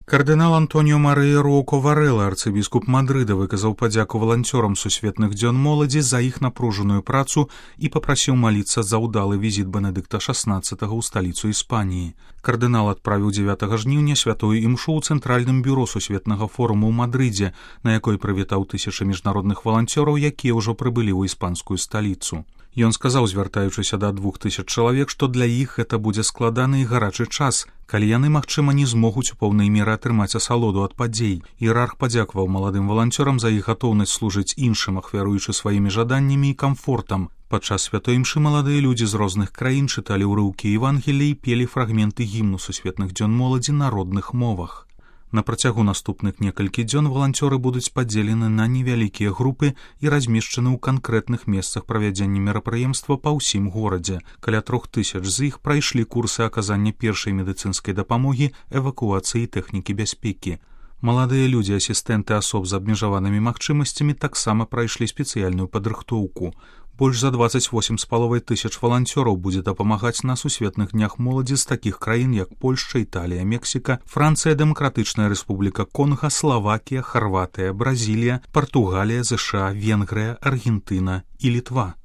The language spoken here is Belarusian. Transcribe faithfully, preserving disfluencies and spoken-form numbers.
Кардынал Антоніо Марыя Роко Варэла, арцыбіскуп Мадрыда, выказаў падзяку валанцёрам сусветных дзён моладзі за іх напружаную працу і папрасіў маліцца за ўдалы візіт Бенедыкта шаснаццатага ў сталіцу Іспаніі. Кардынал адправіў дзевятага жніўня святую імшу ў цэнтральным бюро сусветнага форуму ў Мадрыдзе, на якой прывітаў тысячы міжнародных валанцёраў, якія ўжо прыбылі ў іспанскую сталіцу. Ён сказаў, звяртаючыся да двух тысяч чалавек, што для іх гэта будзе складаны і гарачы час, калі яны, магчыма, не змогуць у поўнай меры атрымаць асалоду ад падзей. Іерарх падзякаваў маладым валанцёрам за іх гатоўнасць служыць іншым, ахвяруючы сваімі жаданнямі і камфортам. Падчас святой імшы маладыя людзі з розных краін чыталі ўрыўкі Евангелія і пелі фрагменты гімну сусветных дзён моладзі на родных мовах. На працягу наступных некалькі дзён валанцёры будуць падзелены на невялікія групы і размешчаны ў канкрэтных месцах правядзення мерапрыемства па ўсім горадзе. Каля трох тысяч з іх прайшлі курсы аказання першай медыцынскай дапамогі, эвакуацыі і тэхнікі бяспекі. Маладыя людзі, асістэнты асоб з абмежаванымі магчымасцямі таксама прайшлі спецыяльную падрыхтоўку. Больш за дваццаць восем з паловай тысяч валанцёраў будзе дапамагаць на сусветных днях моладзі з такіх краін, як Польшча, Італія, Мексіка, Францыя, Дэмакратычная Рэспубліка Конга, Славакія, Харватыя, Бразілія, Партугалія, ЗША, Венгрыя, Аргентына і Літва.